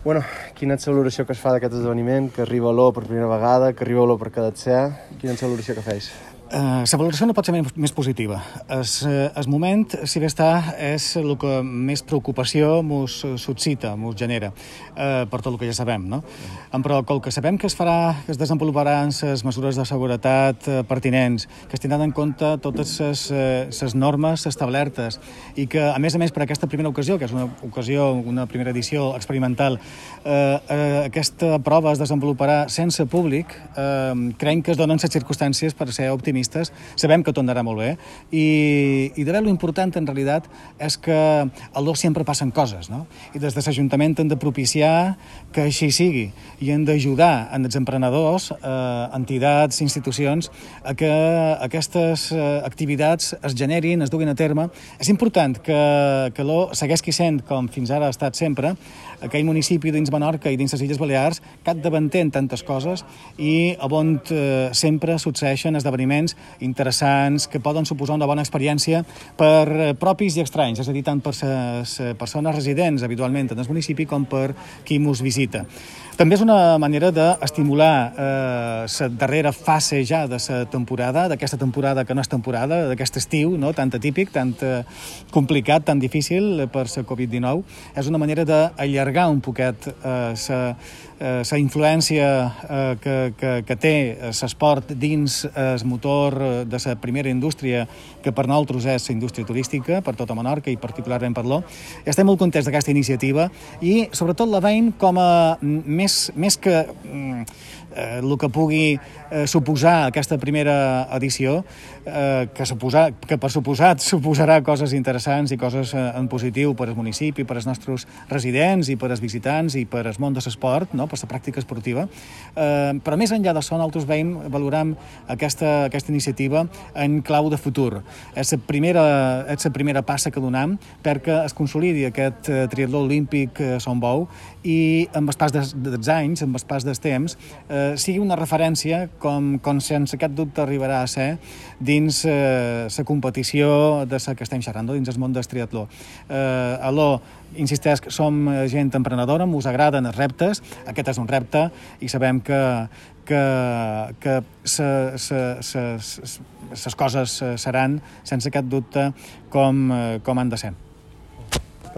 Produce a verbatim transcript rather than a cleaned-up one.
Bueno, quina és la valoració que es fa d'aquest esdeveniment, que arriba l'O per primera vegada, que arriba l'O per cada ser? Quina és la valoració que feis? Uh, la valoració no pot ser més, més positiva. El uh, moment, si bé està, és el que més preocupació mos suscita, mos genera, uh, per tot el que ja sabem, no? Mm. Però com que sabem que es farà, que es desenvoluparan les mesures de seguretat uh, pertinents, que es tindran en compte totes les uh, normes establertes i que, a més a més, per aquesta primera ocasió, que és una ocasió, una primera edició experimental, uh, uh, aquesta prova es desenvoluparà sense públic, uh, creiem que es donen les circumstàncies per ser optimistes. Sabem que tot anarà molt bé i, i de veure l'important en realitat és que al l'O sempre passen coses, no? I des de l'Ajuntament hem de propiciar que així sigui i hem d'ajudar en els emprenedors, eh, entitats, institucions a que aquestes eh, activitats es generin, es duguin a terme. És important que, que l'O segueixi sent, com fins ara ha estat sempre, aquell municipi dins Menorca i dins les Illes Balears capdavanter en tantes coses i on eh, sempre succeeixen esdeveniments interessants que poden suposar una bona experiència per propis i estranys, és a dir, tant per les persones residents habitualment en el municipi com per qui mos visita. També és una manera d'estimular la eh, darrera fase ja de la temporada, d'aquesta temporada que no és temporada, d'aquest estiu, no? Tan atípic, tan eh, complicat, tan difícil per la covid dinou. És una manera d'allargar un poquet la eh, eh, influència eh, que, que, que té l'esport dins el motor de la primera indústria, que per nosaltres és la indústria turística, per tota Menorca i particularment per l'O. Estem molt contents d'aquesta iniciativa i sobretot la veiem com a més, més que eh, el que pugui eh, suposar aquesta primera edició, eh, que, suposa, que per suposat suposarà coses interessants i coses eh, en positiu per al municipi, per als nostres residents i per als visitants i per al món de l'esport, no? Per la pràctica esportiva. Eh, però més enllà d'això, nosaltres veiem, valorem aquesta, aquesta iniciativa en clau de futur. És la primera, és la primera passa que donem perquè es consolidi aquest eh, triatló olímpic eh, Son Bou i amb el pas dels, dels anys, amb el pas dels temps, eh, sigui una referència com, com sense cap dubte arribarà a ser dins eh, la competició de la que estem xerrant, dins el món del triatló. Eh, a l'O, insisteix que som gent emprenedora, us agraden els reptes, aquest és un repte i sabem que que, que les coses seran, sense cap dubte, com, com han de ser.